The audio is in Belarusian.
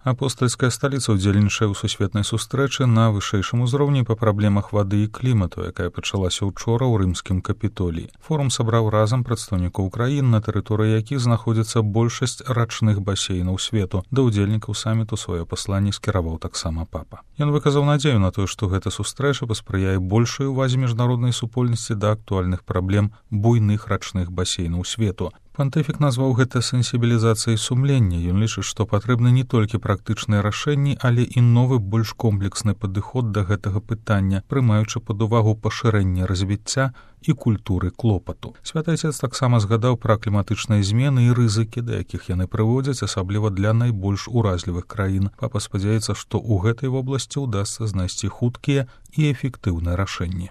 Апостальская сталіца ўдзельнічае ў сусветнай сустрэчы на вышэйшым узроўні па праблемах вады і клімату, якая пачалася учора ў рымскім капітоліі. Форум сабраў разам прадстаўнікоў краін, на тэрыторыі якіх знаходзіцца большасць рачных басейнаў свету. Да ўдзельнікаў саміту сваё пасланне скіраваў таксама папа. Ён выказаў надзею на тое, што гэта сустрэча паспрыяе большай увазе міжнароднай супольнасці да актуальных праблем буйных рачных басейнаў свету. Пантыфік назваў гэта сенсібілізацыяй сумлення. Ён лічыць, што патрэбны не толькі практычныя рашэнні, але і новы больш комплексны падыход да гэтага пытання, прымаючы пад увагу пашырэнне развіцця і культуры клопату. Святы Ацец таксама згадаў пра кліматычныя змены і рызыкі, да якіх яны прыводзяць, асабліва для найбольш уразлівых краін. Папа спадзяецца, што ў гэтай вобласці ўдасца знайсці хуткія і эфектыўныя рашэнні.